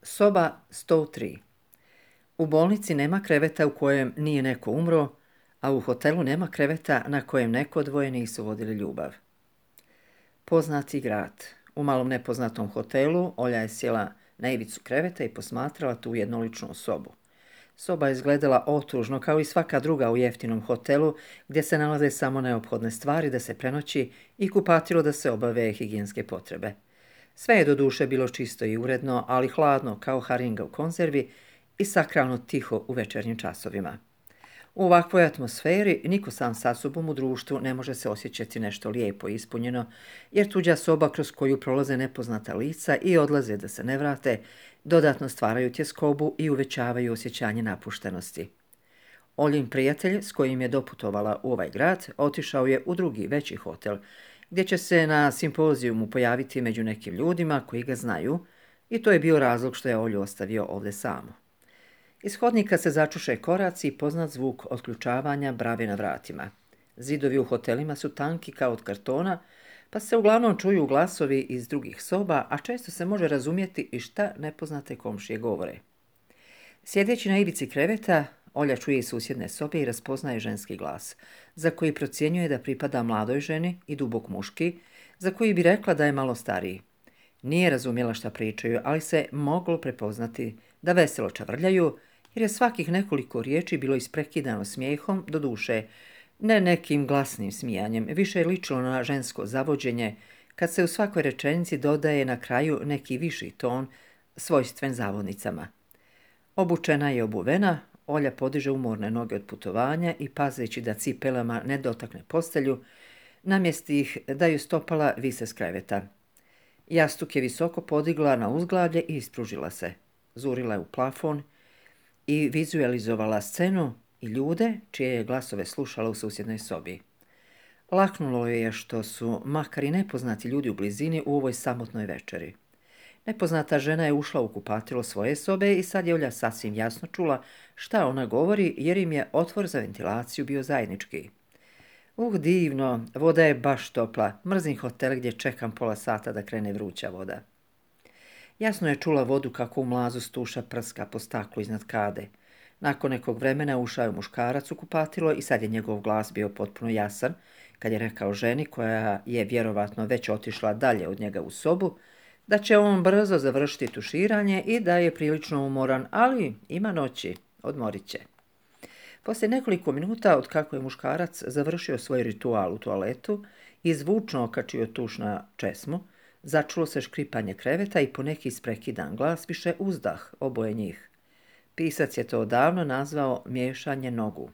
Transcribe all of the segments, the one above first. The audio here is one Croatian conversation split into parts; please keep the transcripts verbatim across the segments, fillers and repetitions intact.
Soba sto tri. U bolnici nema kreveta u kojem nije neko umro, a u hotelu nema kreveta na kojem neko dvoje nisu vodili ljubav. Poznati grad. U malom nepoznatom hotelu Olja je sjela na ivicu kreveta i posmatrala tu jednoličnu sobu. Soba je izgledala otužno kao i svaka druga u jeftinom hotelu gdje se nalaze samo neophodne stvari da se prenoći i kupatilo da se obave higijenske potrebe. Sve je do duše bilo čisto i uredno, ali hladno kao haringa u konzervi i sakralno tiho u večernjim časovima. U ovakvoj atmosferi niko sam sa sobom u društvu ne može se osjećati nešto lijepo i ispunjeno, jer tuđa soba kroz koju prolaze nepoznata lica i odlaze da se ne vrate, dodatno stvaraju tjeskobu i uvećavaju osjećanje napuštenosti. Oljin prijatelj s kojim je doputovala u ovaj grad otišao je u drugi veći hotel, gdje će se na simpozijumu pojaviti među nekim ljudima koji ga znaju, i to je bio razlog što je Olju ostavio ovdje samu. Iz hodnika se začuše koraci i poznat zvuk otključavanja brave na vratima. Zidovi u hotelima su tanki kao od kartona, pa se uglavnom čuju glasovi iz drugih soba, a često se može razumjeti i šta nepoznate komšije govore. Sjedeći na ivici kreveta, Olja čuje iz susjedne sobe i raspoznaje ženski glas, za koji procjenjuje da pripada mladoj ženi i dubok muški, za koji bi rekla da je malo stariji. Nije razumjela šta pričaju, ali se moglo prepoznati da veselo čavrljaju, jer je svakih nekoliko riječi bilo isprekidano smijehom, do duše, ne nekim glasnim smijanjem, više je ličilo na žensko zavođenje, kad se u svakoj rečenici dodaje na kraju neki viši ton, svojstven zavodnicama. Obučena i obuvena, Olja podiže umorne noge od putovanja i, pazeći da cipelama ne dotakne postelju, namjesti ih da ju stopala vise s kreveta. Jastuk je visoko podigla na uzglavlje i ispružila se. Zurila je u plafon i vizualizovala scenu i ljude čije je glasove slušala u susjednoj sobi. Laknulo je što su makar i nepoznati ljudi u blizini u ovoj samotnoj večeri. Nepoznata žena je ušla u kupatilo svoje sobe i sad je Olja sasvim jasno čula šta ona govori, jer im je otvor za ventilaciju bio zajednički. Uh, divno, voda je baš topla, mrzim hotel gdje čekam pola sata da krene vruća voda. Jasno je čula vodu kako u mlazu stuša prska po staklu iznad kade. Nakon nekog vremena ušao je muškarac u kupatilo i sad je njegov glas bio potpuno jasan, kad je rekao ženi, koja je vjerovatno već otišla dalje od njega u sobu, da će on brzo završiti tuširanje i da je prilično umoran, ali ima noći, odmorit će. Poslije nekoliko minuta od kako je muškarac završio svoj ritual u toaletu i zvučno okačio tuš na česmu, začulo se škripanje kreveta i poneki isprekidan glas više uzdah oboje njih. Pisac je to odavno nazvao miješanje nogu.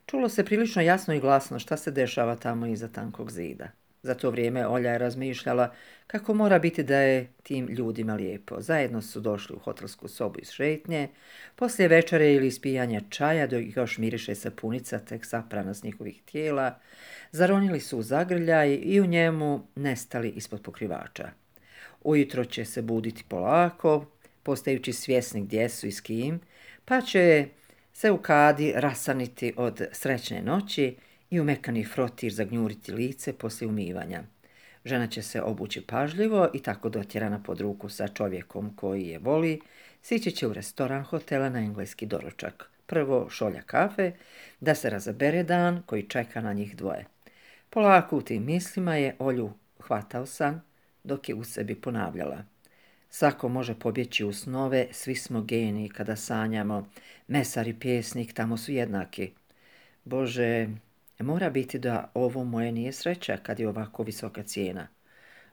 Čulo se prilično jasno i glasno šta se dešava tamo iza tankog zida. Za to vrijeme Olja je razmišljala kako mora biti da je tim ljudima lijepo. Zajedno su došli u hotelsku sobu iz šetnje, poslije večere ili ispijanja čaja, dok još miriše sapunica tek saprana s njihovih tijela, zaronili su u zagrljaj i u njemu nestali ispod pokrivača. Ujutro će se buditi polako, postajući svjesni gdje su i s kim, pa će se u kadi rasaniti od srećne noći i u mekani frotir zagnjuriti lice poslije umivanja. Žena će se obući pažljivo i tako dotjerana pod ruku sa čovjekom koji je voli, sići će u restoran hotela na engleski doručak. Prvo šolja kafe, da se razabere dan koji čeka na njih dvoje. Polako u tim mislima je Olju hvatao san, dok je u sebi ponavljala. Svako može pobjeći u snove, svi smo geniji kada sanjamo, mesar i pjesnik tamo su jednaki. Bože, mora biti da ovo moje nije sreća kad je ovako visoka cijena.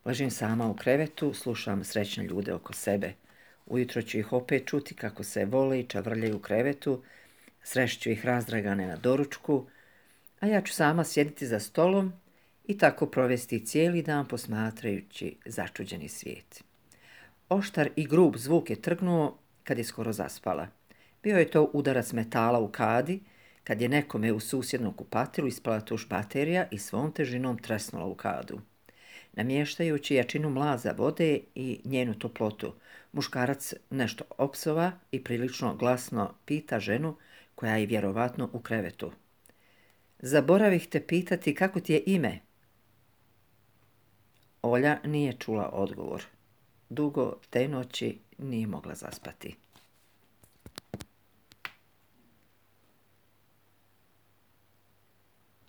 Ležim sama u krevetu, slušam srećne ljude oko sebe. Ujutro ću ih opet čuti kako se vole i čavrljaju u krevetu, srešću ih razdragane na doručku, a ja ću sama sjediti za stolom i tako provesti cijeli dan posmatrajući začuđeni svijet. Oštar i grub zvuk je trgnuo kad je skoro zaspala. Bio je to udarac metala u kadi, kad je nekome u susjednom kupatilu ispala tuš baterija i svom težinom tresnula u kadu. Namještajući jačinu mlaza vode i njenu toplotu, muškarac nešto opsova i prilično glasno pita ženu, koja je vjerovatno u krevetu. Zaboravih te pitati kako ti je ime. Olja nije čula odgovor. Dugo te noći nije mogla zaspati.